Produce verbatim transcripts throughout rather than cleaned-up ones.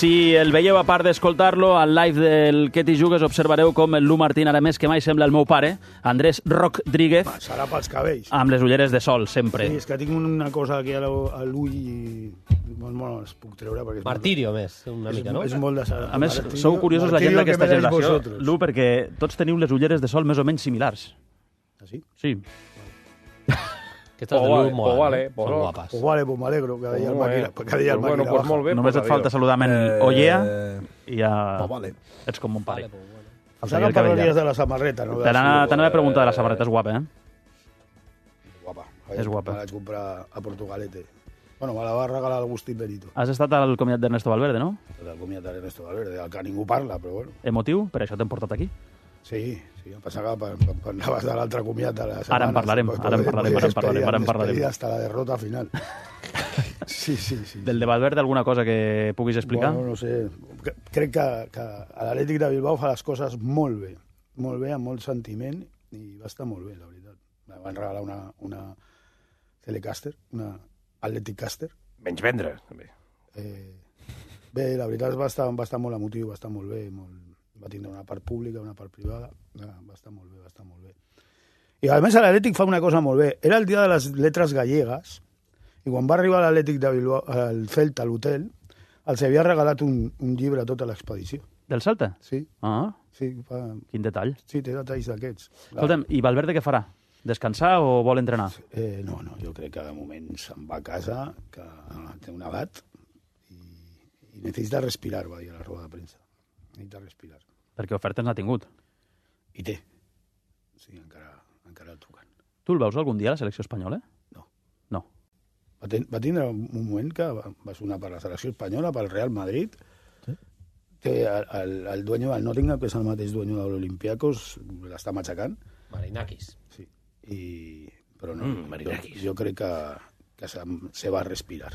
si el veieu a part d'escoltar-lo, al live del Que t'hi jugues observareu com el Lu Martín, ara més que mai, sembla el meu pare, Andrés Rodríguez, serà pels cabells. amb les ulleres de sol, sempre. Sí, és que tinc una cosa aquí a l'ull i bueno, no les puc treure. Perquè és Martirio, més, una és, mica, no? És molt de... A més, sou curiosos la gent d'aquesta generació, Lu, perquè tots teniu les ulleres de sol més o menys similars. Ah, sí? Sí. Aquestes de Lu molen, vale, són pues guapes. Pues vale, pues m'alegro que deia el màquina, que deia el Pues bueno, màquina pues baja. molt bé. Només et falta saludar-me en Ollea i ja Pues vale. ets com mon pare. Vale, pues bueno. Ara no parlaries de la samarreta, no? T'anava a preguntar de la samarreta, és guapa, eh? Guapa. És guapa. Me la vaig comprar a Portugalete. Bueno, me la va regalar l'Agustín Benito. Has estat al comiat d'Ernesto Valverde, no? El comiat d'Ernesto Valverde, del que ningú parla, però bueno. Emotiu? Per això t'hem portat aquí. Sí, sí, em pensava que per, per anaves de l'altre comiat de la setmana. Ara en parlarem, ara en parlarem, ara en parlarem, ara en parlarem. Hasta la derrota final. Sí, sí, sí. Del de Valverde, alguna cosa que puguis explicar? Bueno, no sé. Crec que, que l'Atlètic de Bilbao fa les coses molt bé. Molt bé, amb molt sentiment, i va estar molt bé, la veritat. Me van regalar una, una Telecaster, una Athletic Caster. Menys vendre, també. Eh, bé, la veritat va estar, va estar molt emotiu, va estar molt bé, molt, va tindre una part pública, una part privada, va estar molt bé, va estar molt bé. I a més l'Atlètic fa una cosa molt bé. Era el dia de les lletres gallegues, i quan va arribar l'Atlètic de Bilbao, al Celta, a l'hotel, els havia regalat un, un llibre a tota l'expedició. Del Celta? Sí. Ah, sí fa... quin detall. Sí, té detalls d'aquests. Escolta'm, i Valverde què farà? Descansar o vol entrenar? Eh, no, no, jo crec que de moment se'n va a casa, que té una edat, i, i necessita respirar, va dir a la roda de premsa. Necessita respirar. Perquè ofertes n'ha tingut. I té. Sí, encara, encara el truquen. Tu el veus algun dia a la selecció espanyola? No. No. Va, ten, va tindre un moment que va, va sonar per la selecció espanyola, pel Real Madrid. Sí. Té el, el, el dueño del Nottingham, que és el mateix dueño de l'Olympiacos, l'està matxacant. Marinakis. Sí. I, però no, Mm, Marinakis. Jo, jo crec que, que se, se va respirar.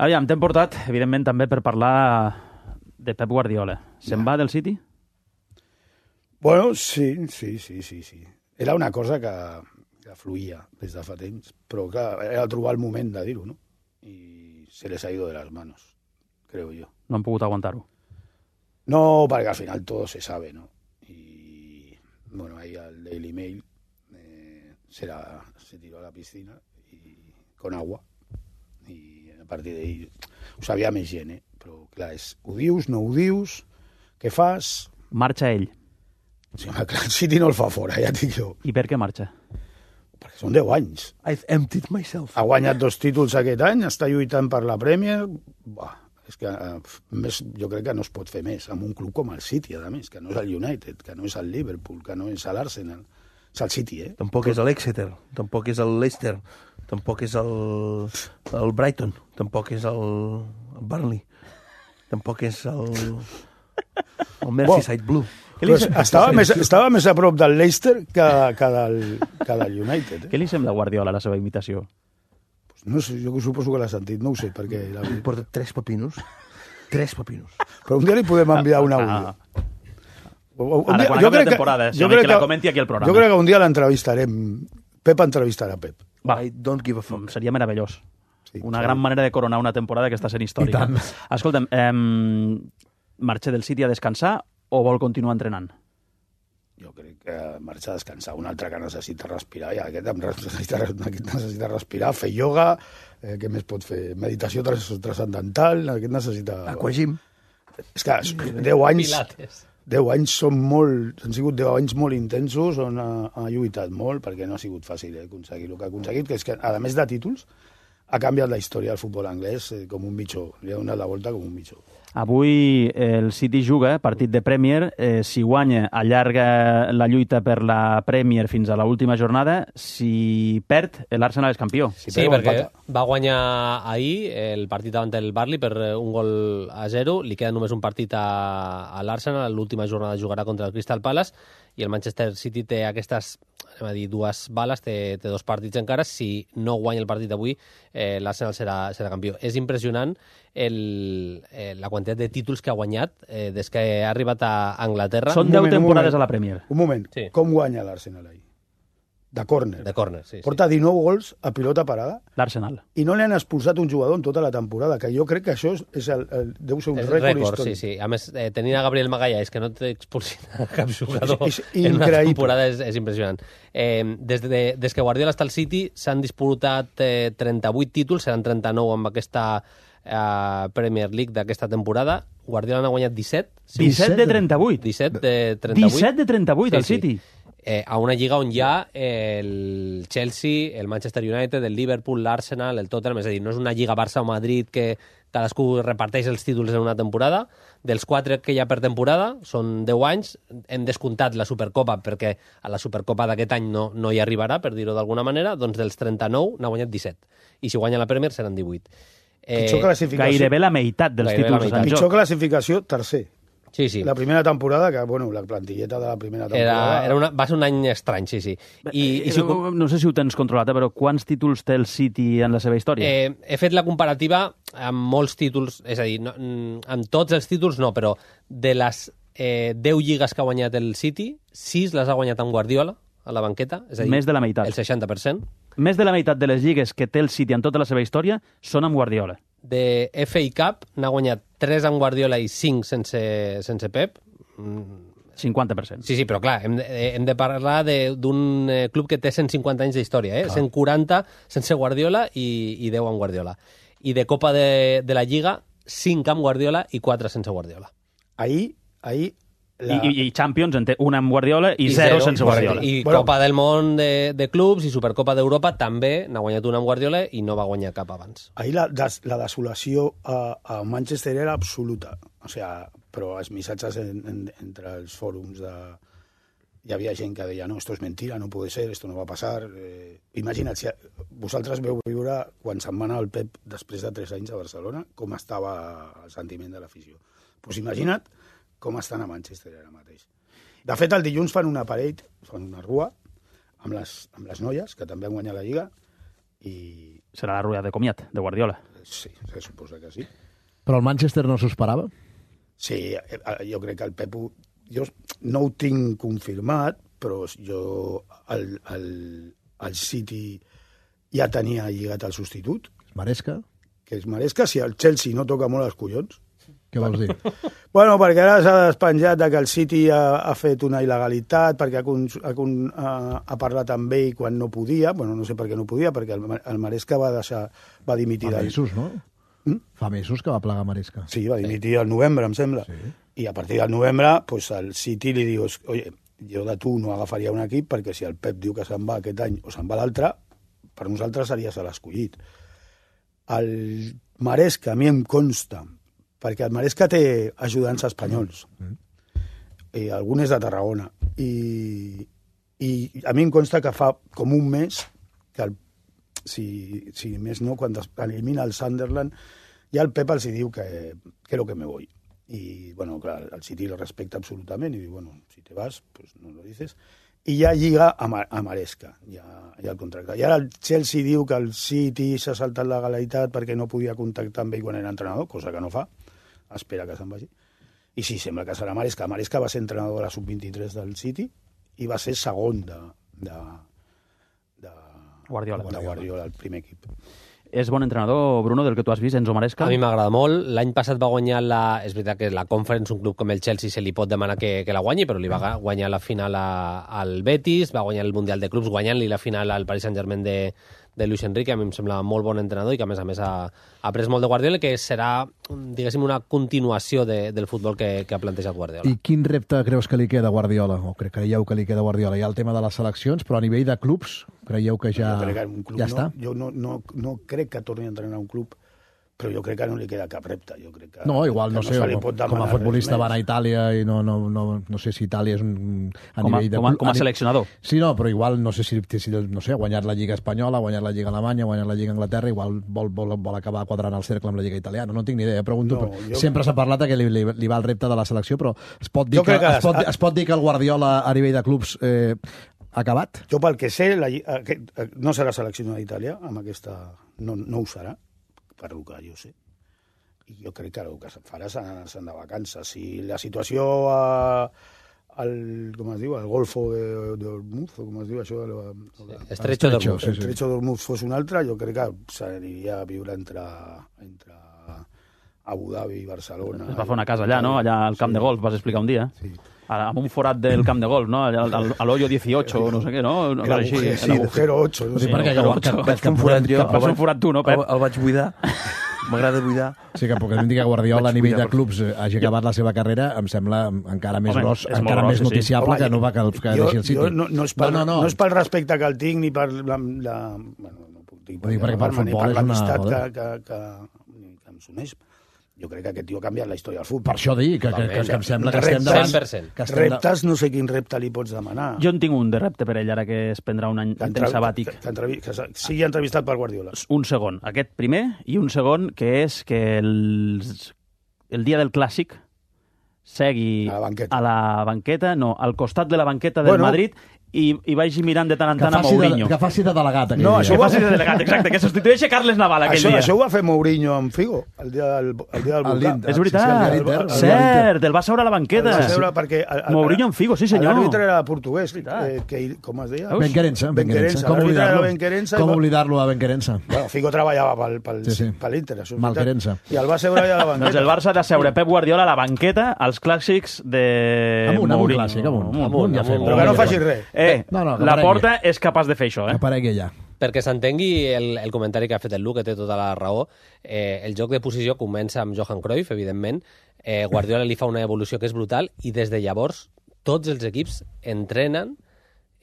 Aviam, t'hem portat, evidentment, també per parlar de Pep Guardiola. Se'n Ja. va del City? Bueno, sí, sí, sí, sí, sí. Era una cosa que, que fluïa des de fa temps, però clar, era trobar el moment de dir-ho, no? I se les ha ido de las manos, creo yo. No han pogut aguantar-ho. No, perquè al final todo se sabe, ¿no? Y bueno, ahí al Daily Mail eh, se, la, se tiró a la piscina y, con agua, i a partir d'ahí ho sabia més gent, eh? Però clar, és, ho dius, no ho dius, què fas? Marxa ell. Sí, home, clar, el City no el fa fora, ja et dic jo. I per què marxa? Perquè són deu anys. I've emptied myself. Ha guanyat dos títols aquest any, està lluitant per la Premier. Buah, és que eh, més, jo crec que no es pot fer més amb un club com el City, a més, que no és el United, que no és el Liverpool, que no és l'Arsenal. És el City, eh? Tampoc és l'Exeter, tampoc és el Leicester, tampoc és el, el Brighton, tampoc és el, el Burnley, tampoc és el, el Merseyside Blue. Pues estava, més, estava més a prop del Leicester que, que, del, que del United. Eh? Què li sembla a Guardiola, la seva imitació? Pues no sé, jo suposo que l'ha sentit, no ho sé, perquè... La... Em porta tres pepinos, tres pepinos. Però un dia li podem enviar un àudio. Ah. Un Ara, dia, quan jo acabi la crec temporada, que, si jo no, crec que la que, comenti aquí al programa. jo crec que un dia l'entrevistarem. Pep entrevistarà Pep. Va. I don't give a fuck. Seria meravellós. Sí, Una sí. gran manera de coronar una temporada que està sent històrica. I tant. Escolta'm, eh, marxa del City a descansar o vol continuar entrenant? Jo crec que marxa a descansar. Un altre que necessita respirar, i aquest necessita, aquest necessita respirar, fer ioga, eh, què més pot fer? Meditació tras, transcendental, aquest necessita... Aquagym. És que deu anys... Pilates. deu anys són molt... Han sigut deu anys molt intensos on ha, ha lluitat molt, perquè no ha sigut fàcil eh, aconseguir el que ha aconseguit, que és que, a més de títols, ha canviat la història del futbol anglès eh, com un mitjó. Li ha donat la volta com un mitjó. Avui el City juga, partit de Premier. Eh, si guanya, allarga la lluita per la Premier fins a l'última jornada. Si perd, l'Arsenal és campió. Si Sí, perd, perquè empata. va guanyar ahir el partit davant del Burnley per un gol a zero. Li queda només un partit a, a l'Arsenal. L'última jornada jugarà contra el Crystal Palace i el Manchester City té aquestes, anem a dir, dues bales, té, té dos partits encara. Si no guanya el partit d'avui, eh, l'Arsenal serà, serà campió. És impressionant el, eh, la quantitat de títols que ha guanyat eh, des que ha arribat a Anglaterra. Són Un deu moment, un temporades moment. a la Premier. Un moment, Sí. com guanya l'Arsenal ahir? de córner. De córner, sí. Porta dinou gols a pilota parada L'Arsenal. i no li han expulsat un jugador en tota la temporada, que jo crec que això és el, el, deu ser un És rècord, rècord, històric. sí, sí. A més, eh, tenint a Gabriel Magallanes, que no t'expulsin a cap jugador És- és en una increïble. temporada, és, és impressionant. Eh, des, de, des que Guardiola està al City s'han disputat eh, trenta-vuit títols, seran trenta-nou amb aquesta eh, Premier League d'aquesta temporada. Guardiola n'ha guanyat disset. Sí, disset de trenta-vuit. disset de trenta-vuit. disset de trenta-vuit, Sí, al sí. City. Eh, a una lliga on hi ha el Chelsea, el Manchester United, el Liverpool, l'Arsenal, el Tottenham, és a dir, no és una lliga Barça o Madrid que cadascú reparteix els títols en una temporada. Dels quatre que hi ha per temporada, són deu anys, hem descomptat la Supercopa perquè a la Supercopa d'aquest any no, no hi arribarà, per dir-ho d'alguna manera, doncs dels trenta-nou n'ha guanyat disset. I si guanya la Premier seran divuit. Eh, Pitjor classificació, Gairebé la meitat dels Gairebé la títols estan en pitjor joc. classificació, tercer. sí, sí. La primera temporada, que, bueno, la plantilleta de la primera temporada... Era, era una, va ser un any estrany, sí, sí. I, i si ho com- no, no sé si ho tens controlat, eh, però quants títols té el City en la seva història? Eh, he fet la comparativa amb molts títols, és a dir, no, mm, amb tots els títols no, però de les eh, deu lligues que ha guanyat el City, sis les ha guanyat amb Guardiola a la banqueta, és a dir, Més de la meitat. el seixanta per cent. Més de la meitat de les lligues que té el City en tota la seva història són amb Guardiola. De F A Cup n'ha guanyat tres amb Guardiola i cinc sense, sense Pep. Mm, cinquanta per cent. Sí, sí, però clar, hem de, hem de parlar de- d'un eh, club que té cent cinquanta anys d'història, eh? cent quaranta sense Guardiola i, i deu amb Guardiola. I de Copa de, de la Lliga, cinc amb Guardiola i quatre sense Guardiola. Ahir, ahir... I, i, I Champions en té una amb Guardiola i, zero, sense Guardiola. I Bueno. Copa del Món de, de clubs i Supercopa d'Europa també n'ha guanyat una amb Guardiola i no va guanyar cap abans. Ahir la, des, la desolació a, a Manchester era absoluta. O sea, però els missatges en, en, entre els fòrums de... Hi havia gent que deia, no, esto es mentira, no puede ser, esto no va a pasar. Eh, imagina't, si vosaltres veu viure quan se'n va anar el Pep després de tres anys a Barcelona, com estava el sentiment de l'afició. Doncs pues imagina't com estan a Manchester ara mateix. De fet, el dilluns fan una parade, fan una rua, amb les, amb les noies, que també han guanyat la Lliga, i Serà la rueda de comiat de Guardiola. sí, se suposa que sí. Però el Manchester no s'ho esperava? Sí, eh, jo crec que el Pep... ho- Jo no ho tinc confirmat, però jo el, el, el City ja tenia lligat el substitut, Maresca? que és Maresca, si el Chelsea no toca molt els collons. Què vols dir? Bueno, perquè ara s'ha despenjat de que el City ha, ha fet una il·legalitat, perquè ha, cons- ha, con- ha, ha parlat amb ell quan no podia, bueno, no sé per què no podia, perquè el, Ma- el Maresca va deixar, va dimitir... Fa del- mesos, no? Mm? Fa mesos que va plegar Maresca. Sí, va dimitir al novembre, em sembla. Sí. I a partir del novembre, pues, el City li diu, oye, jo de tu no agafaria un equip perquè si el Pep diu que se'n va aquest any o se'n va l'altre, per nosaltres series l'escollit. El Maresca, a mi em consta, perquè el Maresca té ajudants espanyols, i algun és de Tarragona, i, i a mi em consta que fa com un mes que el, si, si més no, quan es elimina el Sunderland, ja el Pep els hi diu que, que lo que me voy. Y, bueno, clar, el City lo respecta absolutament i diu, bueno, si te vas, pues no lo dices. I ja lliga a, Ma a Maresca, ja, ja el contracte. I ara el Chelsea diu que el City s'ha saltat la legalitat perquè no podia contactar amb ell quan era entrenador, cosa que no fa, espera que se'n vagi. I sí, sembla que serà Maresca. Maresca va ser entrenador de la sub vint-i-tres del City i va ser segon de, de, de Guardiola. de Guardiola, el primer equip. És bon entrenador, Bruno, del que tu has vist, Enzo Maresca? A mi m'agrada molt. L'any passat va guanyar la... És veritat que la Conference, un club com el Chelsea, se li pot demanar que, que la guanyi, però li va guanyar la final a, al Betis, va guanyar el Mundial de Clubs guanyant-li la final al Paris Saint-Germain de, de Luis Enrique. A mi em sembla molt bon entrenador i que, a més a més, ha, ha après molt de Guardiola, que serà, diguéssim, una continuació de, del futbol que, que ha plantejat Guardiola. I quin repte creus que li queda a Guardiola? O cre creieu que li queda a Guardiola? Hi ha el tema de les seleccions, però a nivell de clubs, creieu que ja, jo crec que un club ja no, està? Jo no, no, no crec que torni a entrenar un club, però jo crec que no li queda cap repte. Jo crec que, No, igual, no que sé, se li com, pot com a demanar futbolista res va anar a més. Itàlia i no, no, no, no sé si Itàlia és un... A Com a, nivell de com a, club- com a ni- seleccionador. Sí, no, però igual no sé si, si no sé, ha guanyat la Lliga Espanyola, ha guanyat la Lliga Alemanya, ha guanyat la Lliga Anglaterra, igual vol, vol, vol acabar quadrant el cercle amb la Lliga Italiana. No tinc ni idea, pregunto. No, però jo- sempre s'ha parlat que li, li, li va el repte de la selecció, però es pot dir, Jo que, crec que es, pot, es- es pot dir que el Guardiola a nivell de clubs eh, ha acabat? Jo, pel que sé, la, lli- aquest, eh, no serà seleccionat d'Itàlia, amb aquesta... No, no ho serà, per lo que jo sé. I jo crec que el que se'n farà se'n se'n de vacances. Si la situació a, al, com es diu, el Golfo de, de Hormuz, o com es diu això? De, de, Estrecho d'Hormuz. sí, sí. Estrecho d'Hormuz fos un altre, jo crec que s'aniria a viure entre, entre Abu Dhabi i Barcelona. Es va fer una casa allà, no? Allà al camp Sí. de golf, vas explicar un dia. Sí. A- Amb un forat del camp de golf, no? Allà al, al, a l'hoyo dieciocho, no sé què, no? El Així, agujero, sí. el agujero ocho. No Sí, sé. perquè no, que, no, que, no. que, Vaig fer un forat jo, Vas fer un el, forat tu, no, Pep? el, el vaig buidar. M'agrada buidar. Sí, que puc dir que Guardiola a Vaig nivell buidar, de clubs eh, hagi acabat la seva carrera, em sembla encara més Home, gros, és molt encara gros, més sí, sí. noticiable Home, que no va que, que jo, deixi el City. jo no, no, és pel, no, no, no, no és pel respecte que el tinc ni per la... la bueno, no puc dir, Vull dir, perquè pel ni futbol per és una- l'amistat que, joder. que, que, que em s'uneix. Jo crec que aquest tio ha canviat la història del futbol. Per això dic que, que, que, que em sembla que estem Reptes- davant... cent per cent. Que estem de... Reptes, no sé quin repte li pots demanar. Jo en tinc un de repte per ell, ara que es prendrà un any Que un entrev- temps sabàtic. Que, que, entrevi- que se- sigui entrevistat per Guardiola. Un segon, aquest primer, i un segon, que és que el, el dia del Clàssic segui A la banqueta. a la banqueta, no, al costat de la banqueta del Bueno. Madrid, i, i vagi mirant de tant en Que tant a faci, de, Mourinho. que faci de delegat aquell No, dia. això Que ho va faci de delegat, exacte, que substitueixi Carles Naval aquell Això, dia. això ho va fer Mourinho amb Figo, el dia del, el dia del Al volcà. l'Inter. És veritat, Sí, sí, el Inter, el cert, el va seure a la El banqueta. va seure perquè... El, el, Mourinho en Figo, sí senyor. L'àrbitre era portuguès, veritat. eh, que, com es deia? Veus? Ben Querença, Ben Querença. Querença. Com L'àrbitre era oblidar-lo? Ben Querença. Com i va- oblidar-lo a Ben Querença? Bueno, Figo treballava pel, pel, Sí, sí. per l'Inter, això és Mal veritat. Querença. I el va seure allà a la banqueta. Doncs el Barça ha de seure Pep Guardiola a la banqueta als clàssics de Amunt, amunt, Mourinho. clàssic, amunt. Amunt, Amunt, ja amunt. fem. Però que no faci res. Eh, No, no, que la aparegui. Porta és capaç de fer això, Que eh? aparegui ja. Perquè s'entengui el, el comentari que ha fet el Luc, que té tota la raó, eh, el joc de posició comença amb Johan Cruyff, evidentment, eh, Guardiola li fa una evolució que és brutal, i des de llavors tots els equips entrenen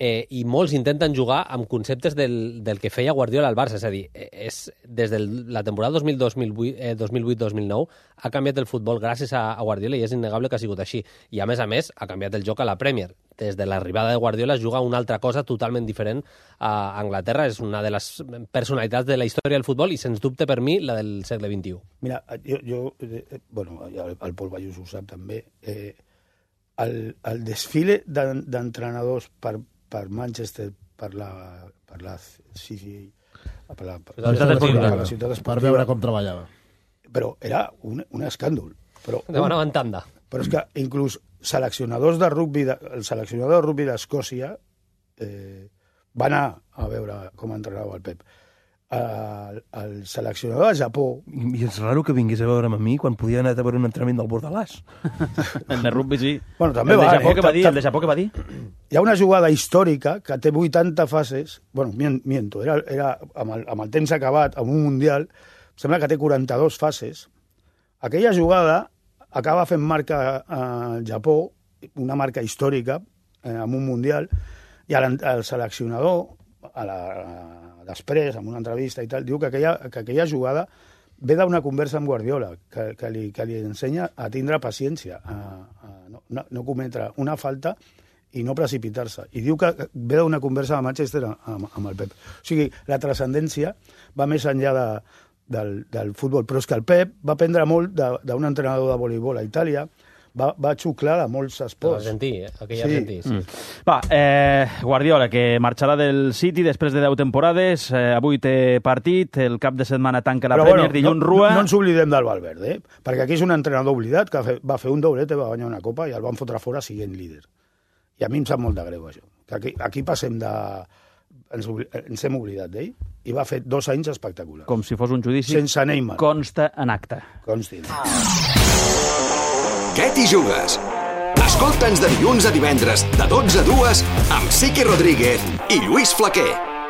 eh, i molts intenten jugar amb conceptes del, del que feia Guardiola al Barça. És a dir, eh, és, des de la temporada dos mil dos mil vuit eh, dos mil vuit dos mil nou ha canviat el futbol gràcies a, a Guardiola i és innegable que ha sigut així. I a més a més ha canviat el joc a la Premier. Des de l'arribada de Guardiola es juga una altra cosa totalment diferent a Anglaterra. És una de les personalitats de la història del futbol i, sens dubte, per mi, la del segle vint-i-u. Mira, jo, jo eh, bueno, ja el, el Pol Ballús ho sap també, eh, el, el desfile d'en- d'entrenadors per, per Manchester, per la, per la City, per la, per, La ciutat esportiva. per la ciutat Per esportiva, veure com treballava. però era un, un escàndol. Però, Demanaven tanda. però és que inclús seleccionadors de rugby, de, el seleccionador de rugby d'Escòcia eh, va anar a veure com entrenava el Pep. El, el seleccionador de Japó, I és raro que vingués a veure'm a mi quan podia anar a veure un entrenament del Bordalàs. El de rugby, sí. Bueno, també el de va, Japó eh? que va dir, Ta- el de Japó que va dir. hi ha una jugada històrica que té vuitanta fases, bueno, mien- miento, era, era amb, el, amb el temps acabat, amb un Mundial, sembla que té quaranta-dues fases. Aquella jugada acaba fent marca al Japó, una marca històrica, eh, amb un Mundial, i el, el seleccionador, a la, a, després, en una entrevista i tal, diu que aquella, que aquella jugada ve d'una conversa amb Guardiola, que, que, li, que li ensenya a tindre paciència, a, a no, no, no cometre una falta i no precipitar-se. I diu que ve d'una conversa de Manchester amb, amb el Pep. O sigui, la transcendència va més enllà de, del, del futbol, però és que el Pep va aprendre molt de- d'un entrenador de voleibol a Itàlia, va, va xuclar de molts esports. Argentí, eh? Aquell Sí. argentí, sí. Mm. Va, eh, Guardiola, que marxarà del City després de deu temporades, eh, avui té partit, el cap de setmana tanca la Però Premier, bueno, dilluns no, Rua... No, no ens oblidem del Valverde, eh? Perquè aquí és un entrenador oblidat que fe- va fer un doblete, va guanyar una copa i el van fotre fora siguent líder. I a mi em sap molt de greu, això. Que aquí, aquí passem de... Ens, obli- ens hem oblidat d'ell i va fer dos anys espectaculars. Com si fos un judici, Sense Neymar. consta en acte. Consti. Què t'hi jugues? Escolta'ns de dilluns a divendres, de dotze a dues, amb Sique Rodríguez i Lluís Flaquer.